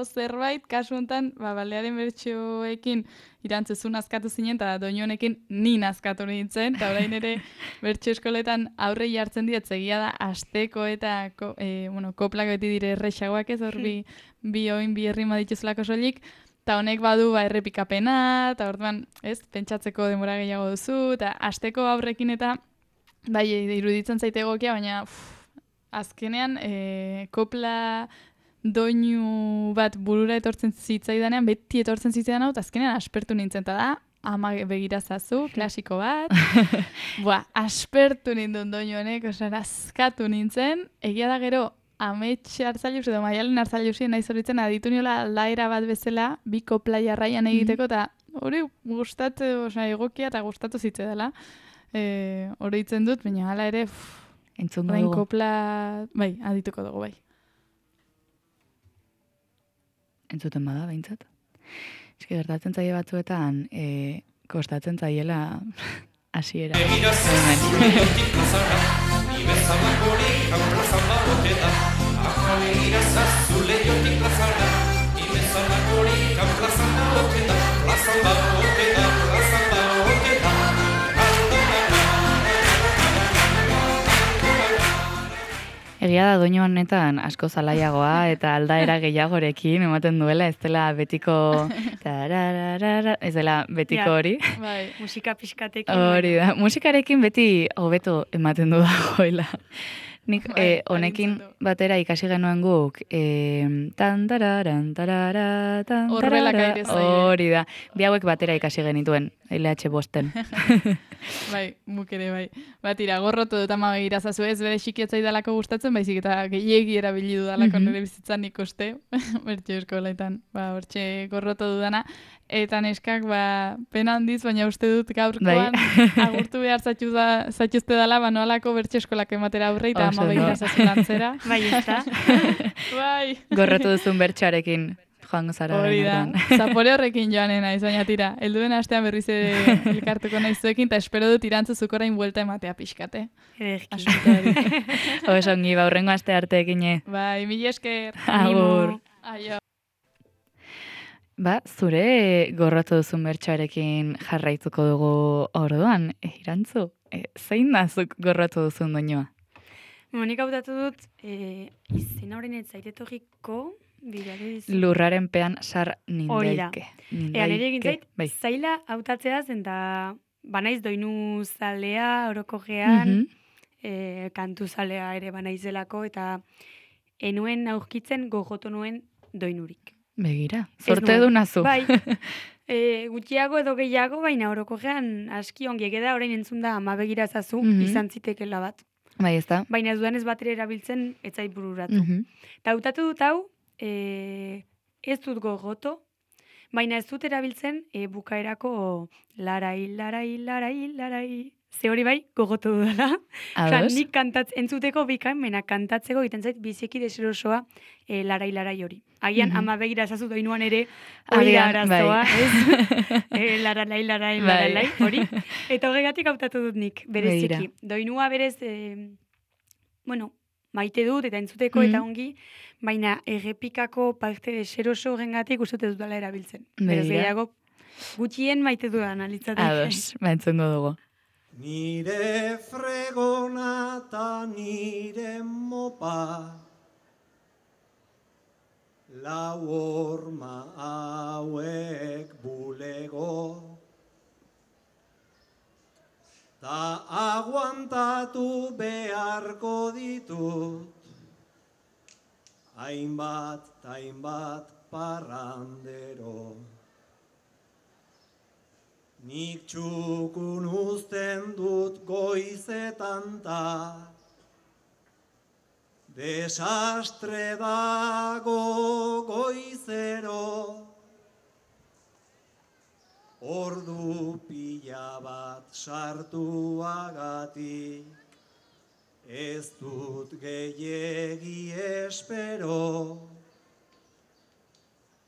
zerbait, kasu honetan, ba, balearen bertsoekin irantzezun nazkatu zinen, eta doinu honekin ni nazkatu nintzen, eta orain ere bertso eskoletan aurrei hartzen diet, egia da, asteko eta ko, e, bueno, koplak beti dire errexagoak ez, hor bi, bi oin, bi herrima dituzulako soilik, eta honek badu ba, errepikapena, eta orduan, ez, pentsatzeko denbora gehiago duzu, eta asteko aurrekin eta bai, iruditzen zaite egokia, baina uf, azkenean e, kopla doinu bat burura etortzen zitzaidanean, beti etortzen zitzaidan hau, eta azkenean aspertu nintzen, eta da, ama begirazazu, klasiko bat. Boa, aspertu nindun doinu honek, osan, askatu nintzen, egia da gero, Amets Hartzailuz edo Maialen Hartzailuzien nahi zoritzen aditu niola aldaera bat bezala, bi kopla jarraian egiteko, eta hori gustatu, osan, egokia eta gustatu zitzaidala. E, Horitzen dut, baina hala ere
entzungo
orain
dugu.
kopla, bai, adituko dugu, bai.
Entzuten bada, behintzat. Eski gertatzen zaie batzuetan, e, kostatzen zaiela hasiera. Egia da doinu honetan asko zalaiagoa eta aldaera gehiagorekin ematen duela, ez dela betiko tarararara, ez dela betiko
Ja.
hori.
Bai,
Musika pixkatekin.
Hori da, musikarekin beti hobeto ematen du dagoela. Nik
Bai,
eh, honekin
agintzen du.
batera ikasi genuen guk, eh, tan tararan tarara, tan
Orbelak
tarara,
aire zaie.
hori da. Bi hauek batera ikasi genituen, L H bosten.
bai, muk ere bai. Batira, gorrotu dut ama begirazazu ez, bere xikietzai dalako gustatzen, baizik eta gehiegi erabili dudalako
Mhm.
nire bizitzan ikuste, bertxe eskoletan, ba, hortxe gorrotu dudana. Eta neskak, ba, pena handiz, baina uste dut gaurkoan agurtu behar zatxu da, zatxuzte dala, ba, noalako bertxe eskolak ematera aurre, eta
Oso
ama
ondo.
begirazazu lantzera.
Bai, ez da.
Bai.
Gorrotu duzun bertxarekin joango zara.
Hori da,
orain artean.
zapore horrekin joanen naiz, baina tira, helduen astean berriz ere elkartuko naiz zuekin, eta espero dut irantzuzuko orain buelta ematea pixkate.
Ederki.
Asuntoari.
Oso ongi, ba, hurrengo aste arte egine.
Bai, mila esker.
Agur.
Aio.
Ba, zure gorrotu duzun bertxarekin jarraituko dugu orduan, e, irantzu, e, zein da zuk gorrotu duzun doinua?
Monik hautatu dut, e, izena horren ez zairetorriko, bidare dizu.
Lurraren pean sar
Hori da.
nindaike.
Ea, nire egin zait,
Bai.
zaila hautatzea zen, eta banaiz doinu zalea, orokogean,
Mhm.
e, kantu zalea ere banaizelako, eta enuen aurkitzen gogoto nuen doinurik.
Begira,
Ez
zorte
nuen.
du nazu.
Bai, e, gutxiago edo gehiago, baina orokogean aski ongi egeda orain entzun da ama begirazazu,
Mhm.
izan zitekela bat.
Bai, ez da.
Baina ez duan ez batera erabiltzen, ez zait bururatu.
Mhm.
Eta hautatu dut hau, e, ez dut gogoto, baina ez dut erabiltzen e, bukaerako larai, larai, larai, larai. Ze hori bai, gogoto dudala. Osa,
Ados?
nik kantatz, entzuteko bikaimena kantatzeko egiten zait biziki deserosoa e, larai, larai hori. Agian
Mhm.
ama begira ezazu doinuan ere hori da
Agian, bai.
arazoa, ez? e, larai, larai,
Bai.
larai, hori. Eta horregatik hautatu dut nik, bereziki.
Begira.
Doinua berez, e, bueno, maite dut, eta entzuteko,
Mm.
eta ongi, baina errepikako parte deseroso horrengatik uste ez dudala erabiltzen. Beraz,
Begira.
gehiago, gutxien maite dudan alitzateke.
Ados, ba, entzungo dugu.
Nire fregona ta nire mopa, lau horma hauek bulego, ta aguantatu beharko ditut, hainbat ta hainbat parrandero. Nik txukun uzten dut goizetan ta, desastre dago goizero, ordu pila bat sartuagatik, ez dut gehiegi espero,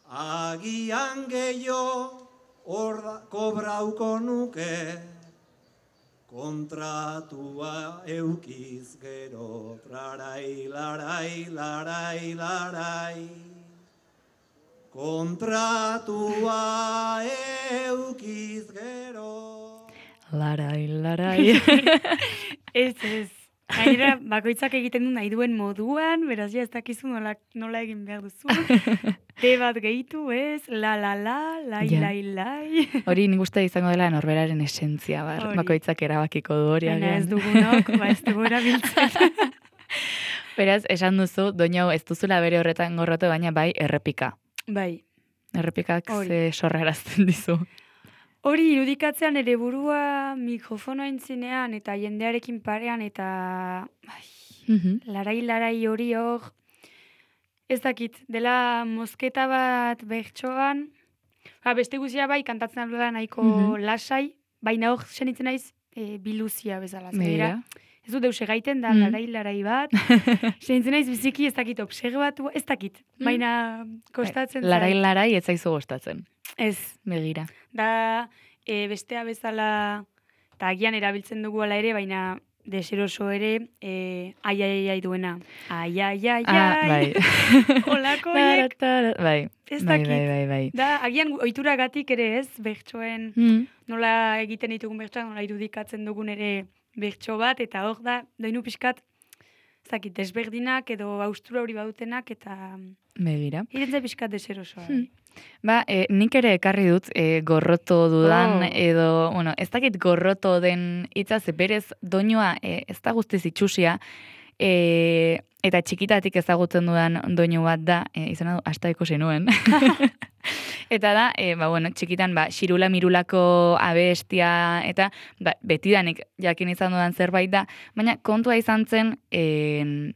agian gehiago, Orda kobrauko nuke, kontratua eukiz gero, larai, larai, larai, larai, kontratua eukiz gero.
Larai, larai.
Ez, ez. Gainera, bakoitzak egiten du nahi duen moduan, beraz, ja, ez dakizu nola, nola egin behar duzu. Te bat gehitu, ez? La, la, la, lai,
Ja.
lai, lai.
Hori nik uste izango dela norberaren esentzia, bar.
Hori.
Bakoitzak erabakiko du hori
Baina ez
agian.
dugunok, ba, ez dugu erabiltzen.
Beraz, esan duzu, doinu hau ez duzula bere horretan gorroto, baina bai errepika.
Bai.
Errepikak
Hori.
ze sorrarazten dizu.
Hori irudikatzean ere burua mikrofonoa entzinean eta jendearekin parean eta ai, larai-larai hori hor, ez dakit, dela mozketa bat bertsoan, ba, beste guzia bai kantatzen aldela nahiko
Mhm.
lasai, baina hor senitzen naiz e, biluzia bezala. Zera,
Begira.
ez dut deus egaiten da
Mm.
larai-larai bat, senitzen naiz biziki ez dakit observatu, ez dakit, baina kostatzen
Larai,
zait.
larai, ez zaizu gustatzen.
Ez,
Begira.
da e, bestea bezala, eta agian erabiltzen dugu ala ere, baina deseroso ere, e, ai, ai, ai duena. Ai, ai, ai,
Ah,
ai.
bai.
Olako horiek,
Tara, tara, bai.
ez
Bai,
dakit.
bai, bai, bai.
Da, agian ohituragatik ere ez, bertsoen,
Mm.
nola egiten ditugun bertsoak, nola irudikatzen dugun ere bertso bat, eta hor da, doinu pixkat, ez dakit, desberdinak edo austura hori badutenak, eta
Begira.
irentza pixkat deserosoa.
Hmm. Ba, e, nik ere ekarri dut e, gorroto dudan,
Oh.
edo, bueno, ez dakit gorroto den hitza, ze berez doinua e, ez da guztiz itxusia, e, eta txikitatik ezagutzen dudan doinu bat da, e, izena du, hasta ikusi nuen. Eta da, e, ba, bueno, txikitan, ba, xirula mirulako abestia, eta ba, betidanik jakin izan dudan zerbait da, baina kontua izan zen, e,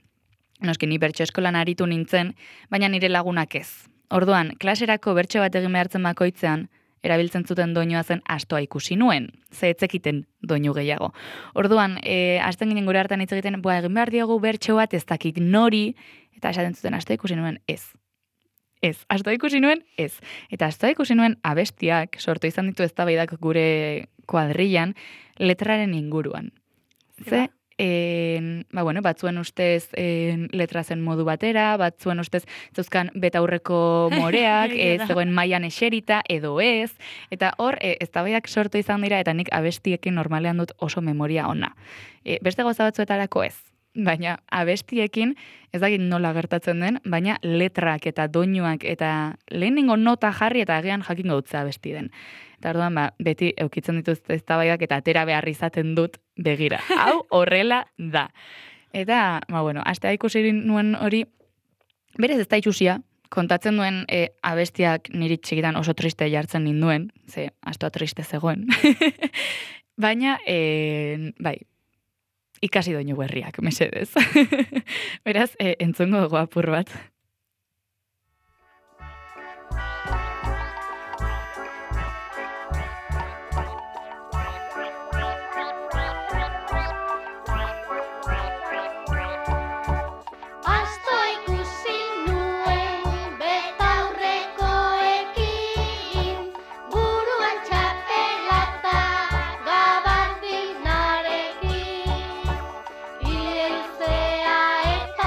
noski ni bertso eskolan aritu nintzen, baina nire lagunak ez. Orduan, klaserako bertso bat egin behartzen bakoitzean, erabiltzen zuten doinua zen astoa ikusi nuen, ze etzekiten doinu gehiago. Orduan, e, hasten ginen gure hartan hitz egiten, boa, egin behar diogu bertso bat ez dakik nori, eta esaten zuten astoa ikusi nuen ez. Ez, astoa ikusi nuen ez. Eta astoa ikusi nuen abestiak, sortu izan ditu eztabaidak gure kuadrillan, letraren inguruan. Ze, En, ba, bueno, batzuen ustez en, letra zen modu batera, batzuen ustez zeuzkan betaurreko moreak, ez zegoen mailan eserita, edo ez, eta hor, e, eztabaidak sortu izan dira, eta nik abestiekin normalean dut oso memoria ona. E, beste gauza batzuetarako ez, baina abestiekin, ez dakit nola gertatzen den, baina letrak eta doinuak eta lehenengo nota jarri eta agian jakingo dutza abesti den. Eta orduan, ba, beti eukitzen dituzte eztabaidak eta atera behar izaten dut begira. Hau horrela da. Eta, ba, bueno, astea ikusi nuen hori, berez ez da itxusia, kontatzen duen e, abestiak niri txikitan oso triste jartzen ninduen, ze astoa triste zegoen. Baina, e, bai, ikasi doinu berriak, mesedez. Beraz, e, entzungo dugu apur bat.
Eta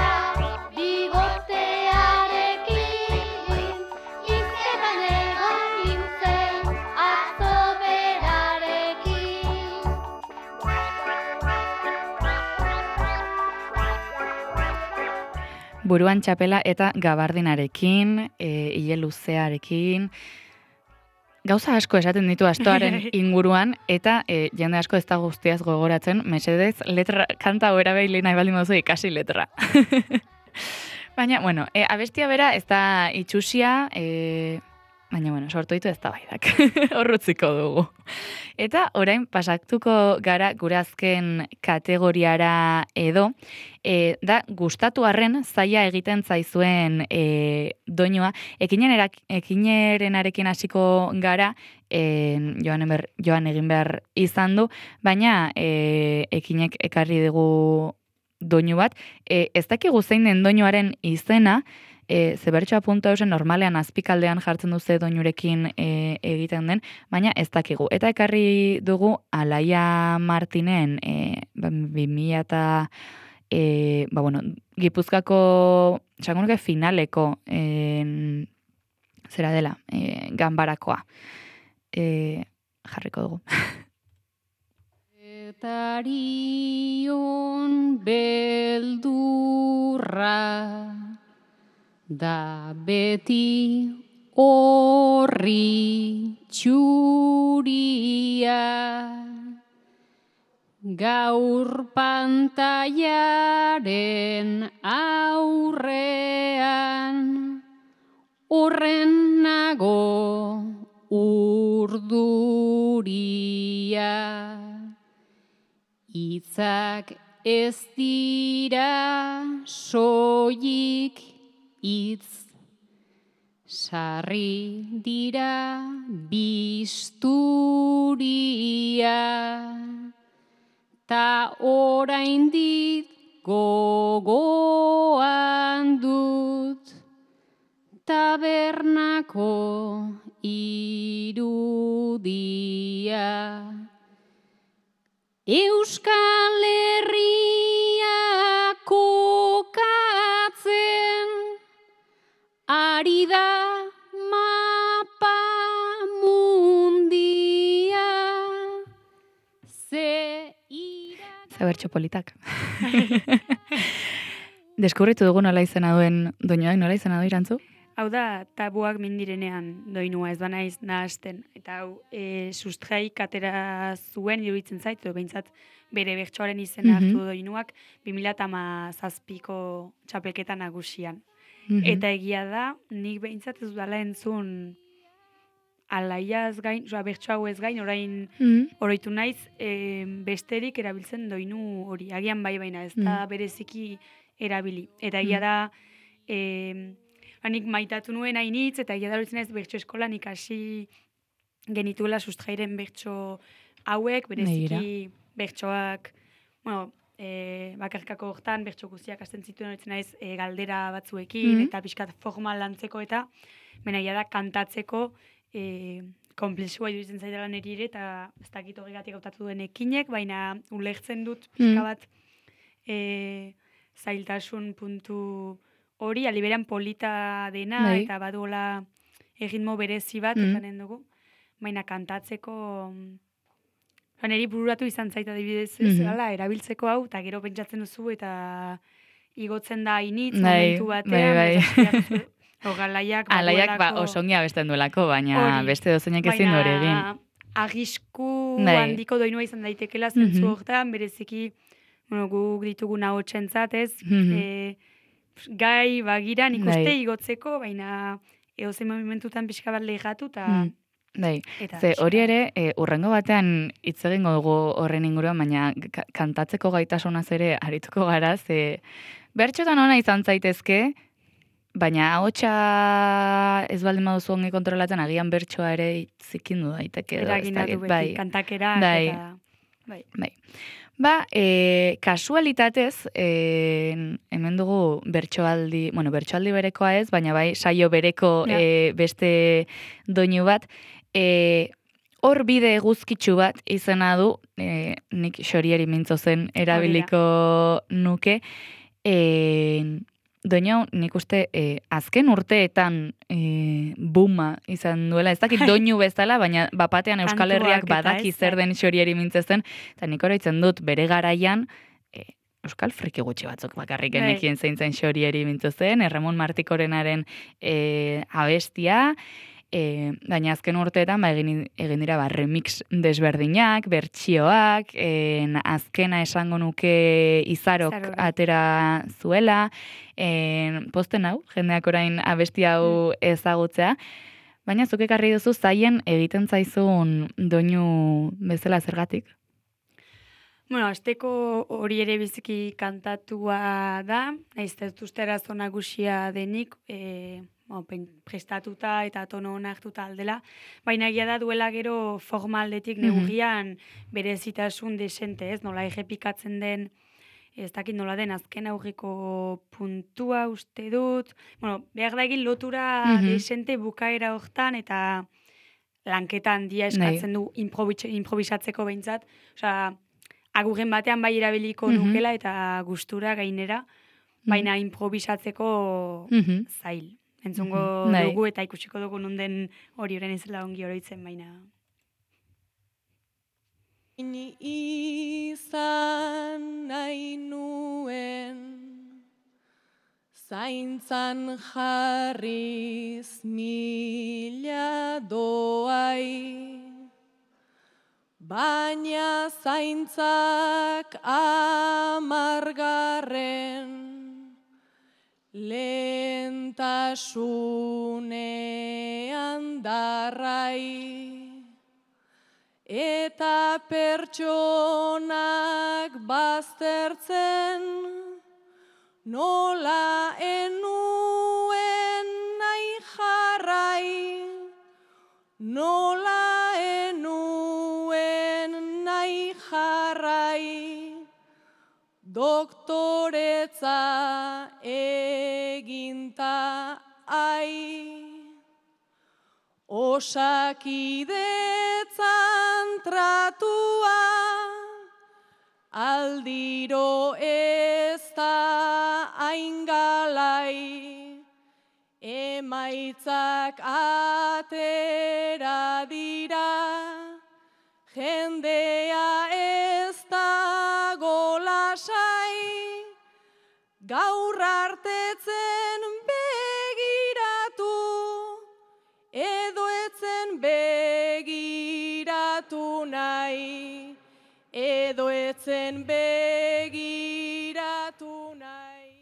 buruan txapela eta gabardinarekin, e, ile luzearekin, gauza asko esaten ditu astoaren inguruan, eta e, jende asko ez da guztiaz gogoratzen, mesedez, letra, kanta hori behili nahi baldin mozu ikasi letra. Baina, bueno, e, abestia bera ez da itxusia, e, baina, bueno, sortu ditu ez da baidak, horrutziko dugu. Eta orain pasatuko gara gure azken kategoriara edo, e, da gustatu arren zaila egiten zaizuen e, doinua, ekinen erak, ekinerenarekin hasiko gara, e, joan, ber, joan egin behar izan du, baina e, ekinek ekarri dugu doinu bat, e, ez dakigu zein den doinuaren izena, E, zebertxoa puntu eusen normalean azpikaldean jartzen duze doinurekin e, egiten den, baina ez dakigu. Eta ekarri dugu Alaia Martinen e, bi mila eta e, ba, bueno, Gipuzkako txangunuke finaleko e, zera dela, e, ganbarakoa. E, jarriko dugu.
Etarion beldurra da beti horri txuria, gaur pantailaren aurrean, horren nago urduria. Itzak ez dira soilik itz, sarri dira bisturia, ta oraindik gogoan dut tabernako irudia. Euskal Herria kokatzen ari da mapa mundia, ze irak...
Zabertxo politak. Deskubritu dugu nola izena duen doinoak, nola izena du Irantzu?
Hau da, tabuak mindirenean doinua, ez banaiz nahasten. Eta hau, e, sustraik atera zuen, iruditzen zait, edo behintzat bere bertsoaren izena
Mhm.
hartu doinuak, bi mila hamazazpiko txapelketa nagusian.
Mhm.
Eta egia da, nik behintzat ez dudala entzun alaiaz gain, oza, bertso hau ez gain, orain
Mhm.
oroitu naiz, e, besterik erabiltzen doinu hori. Agian bai baina, ez da bereziki erabili. Eta egia da, e, nik maitatu nuen hainitz, eta egia da horitzen ez bertso eskolan ikasi genituela sustrairen bertso hauek, bereziki bertsoak, bueno, e, bakarkako hortan bertso guztiak hasten zituen horitzen naiz e, galdera batzuekin,
Mhm.
eta pixkat formal lantzeko eta, baina egia da kantatzeko e, komplexua iruditzen zaidala niri ere, eta ez dakit horregatik hautatu duen ekinek, baina ulertzen dut pixka bat e, zailtasun puntu hori, aliberan polita dena,
Bai.
eta baduela erritmo berezi bat,
Mm.
esanen dugu, baina kantatzeko... Ba, niri bururatu izan zaita adibidez, ez
Mhm.
gala, erabiltzeko hau, eta gero pentsatzen duzu, eta igotzen da initz,
Bai,
momentu
bai,
batean,
bai.
o galaiak,
Alaiak ba,
baduelako-
osongi abesten duelako, baina
Hori.
beste dozeinek ezin du hori egin.
Baina arrisku
Bai.
handiko doinua izan daitekela zentzu
Mhm.
hortan, bereziki, bueno, guk ditugun ahotsentzat, ez?
Mhm.
E, gai bagiran
Bai.
ikuste igotzeko, baina eozein momentutan pixka bat lehigatu, eta...
Mm. Bai,
eta
ze
pixka
hori
bat.
ere, e, urrengo batean hitz egingo dugu horren inguruan, baina ka- kantatzeko gaitasunaz ere arituko gara, ze bertxotan ona izan zaitezke, baina ahotsa ez baldin baduzu ongi kontrolatzen, agian bertsoa ere zikindu daiteke. edo ez
Eragina du
dakit,
beti,
bai.
kantakerak,
Bai.
eta... Bai.
Bai. Ba, e, kasualitatez, e, hemen dugu bertsoaldi, bueno, bertsoaldi berekoa ez, baina bai saio bereko
Ja.
e, beste doinu bat, e, hor bide eguzkitsu bat izena du, e, nik xorieri mintzo zen erabiliko nuke, e, doinu hau nik uste e, azken urteetan e, buma izan duela, ez dakit doinu bezala, baina bapatean Euskal
Kantuak
Herriak
eta
badaki
ez,
zer
bai.
den xorieri mintzezen, eta nik oroitzen dut bere garaian, e, euskal friki gutxi batzuk bakarrik genekien zein zen xorieri mintzo zen, Erramon Martikorenaren e, abestia, e, baina azken urteetan ba, egin, egin dira ba, remix desberdinak, bertsioak, e, azkena esango nuke izarok
Izarok.
atera zuela, e, posten hau, jendeak orain abesti hau ezagutzea, baina zuk ekarri duzu zaien egiten zaizun doinu bezala zergatik?
Bueno, asteko hori ere biziki kantatua da, nahiz ez uste arazo nagusia denik, e, bueno, prestatuta eta tono ona hartuta aldela, baina egia da duela gero forma aldetik neurrian berezitasun desente, ez? Nola errepikatzen den, ez dakit nola den azken aurriko puntua uste dut, bueno, behar da egin lotura desente bukaera hortan eta lanketa handia eskatzen du improvisatzeko behintzat, osea, agurren batean bai erabiliko nukela eta gustura gainera, baina improvisatzeko zail. Entzungo dugu eta ikusiko dugu nunden hori orain ezela ongi oroitzen, baina...
Ni izan nahi nuen, zaintzan jarriz mila doai, baina zaintzak amargarren lehentasunean darrai, eta pertsonak baztertzen nola enuen nahi jarrai, nola enuen nahi jarrai, doktoretza eginta ai, osakidetzan tratua, aldiro ez da aingalai, emaitzak atera dira, jendea ez da golasai, gaur artetzen begiratu, edo etzen begiratu nahi, edo etzen begiratu nahi.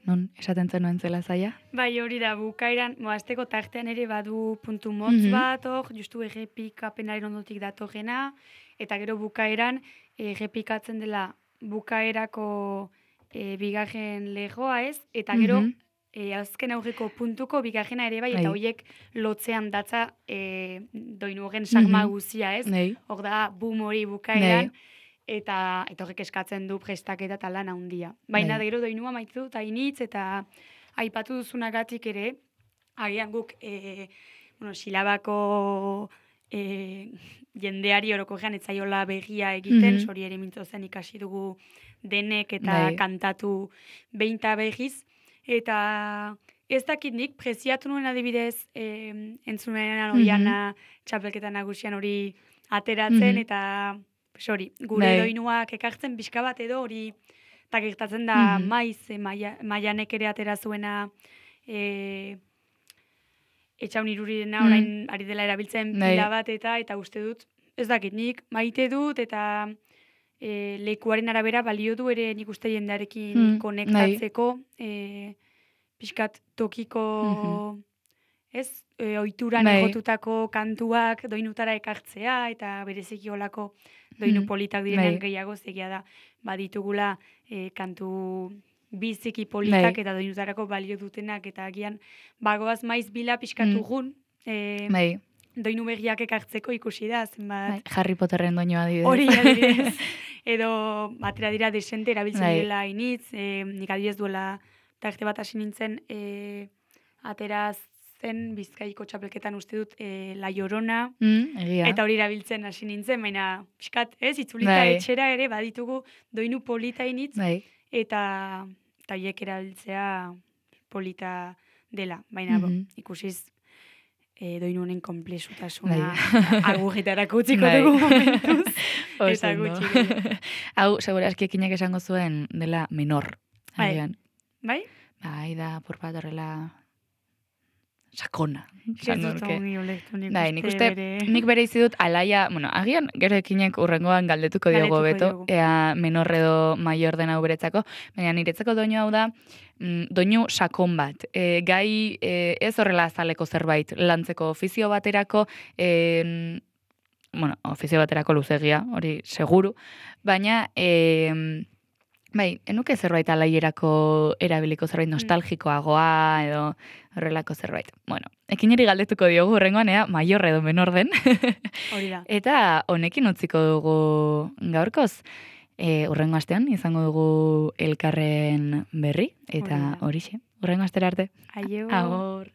Non, esaten zenuen zela zaila?
Bai, hori da, bukaeran, moazteko tartean ere badu puntu motz bat, hor, justu errepikapenaren ondotik datorrena, eta gero bukaeran errepikatzen dela bukaerako e, bigarren legoa ez, eta gero e, azken aurreko puntuko bigarrena ere bai, eta horiek lotzean datza e, doinu horren sarma guzia ez, hor da boom hori bukaeran, eta eta horrek eskatzen du prestaketa eta lan handia. Baina gero doinua maitzu eta initz, eta aipatu duzunagatik ere, agian guk e, bueno, silabako e, jendeari orokorrean etzaiola begia egiten, sori ere mintzo zen ikasi dugu denek eta kantatu behinta behiz, eta ez dakit nik preziatu nuen adibidez e, entzunean oiana txapelketa nagusian hori ateratzen, eta hori, gure doinuak ekartzen pixka bat edo hori, eta gertatzen da maiz, e, maianek ere atera zuena e, etxaun irurirena orain ari dela erabiltzen pila bat eta eta uste dut, ez dakit nik maite dut eta e, lekuaren arabera balio du ere nik uste jendearekin konektatzeko, e, pixkat tokiko ez, e, oituran egotutako kantuak doinutara ekartzea eta bereziki olako doinu politak direnean gehiago zegia da baditugula e, kantu biziki politak eta doinutarako balio dutenak eta agian bagoaz maiz bila pixkatu gun e, doinu berriak ekartzeko ikusi da zenbat
Harry Potterren doinua adibidez.
Hori adibidez. Edo batera dira desente erabiltzen direla initz, e, nik adibidez duela tarte bat hasi nintzen e, ateraz zen Bizkaiko txapelketan uste dut e, La Llorona,
mm,
eta hori erabiltzen hasi nintzen, baina pixkat, ez, itzulita etxera ere baditugu doinu polita initz, eta haiek erabiltzea polita dela, baina mm -hmm. bo, ikusiz e, doinu honen komplexutasuna
Bai.
agujitarako utziko
Bai.
dugu momentuz.
Oso
Eta
ondo.
gutxi.
Hau, segura aski ekinak esango zuen dela menor.
Bai.
Agian.
Bai?
Bai, da, por bat horrela sakona.
Ez
esango
dut
nuke.
ongi ulertu nik
Bai, nik uste,
bere...
nik bere izi dut alaia, bueno, agian gero ekinek urrengoan galdetuko diogo
Galdetuko
beto,
diogu.
ea menor edo maior den hau beretzako, baina niretzako doinu hau da, mm, doinu sakon bat. E, gai e, ez horrela azaleko zerbait, lantzeko ofizio baterako, e, bueno, ofizio baterako luzegia, hori seguru, baina... E, Bai, enuke zerbait alaierako erabiliko zerbait nostalgikoagoa edo horrelako zerbait. Bueno, ekineri galdetuko diogu horrengoan, ea, maior edo menor den.
Hori da.
Eta honekin utziko dugu gaurkoz. E, urrengo astean izango dugu elkarren berri, eta
Hori da.
horixe. Urrengo astera arte.
Aio.
Agor.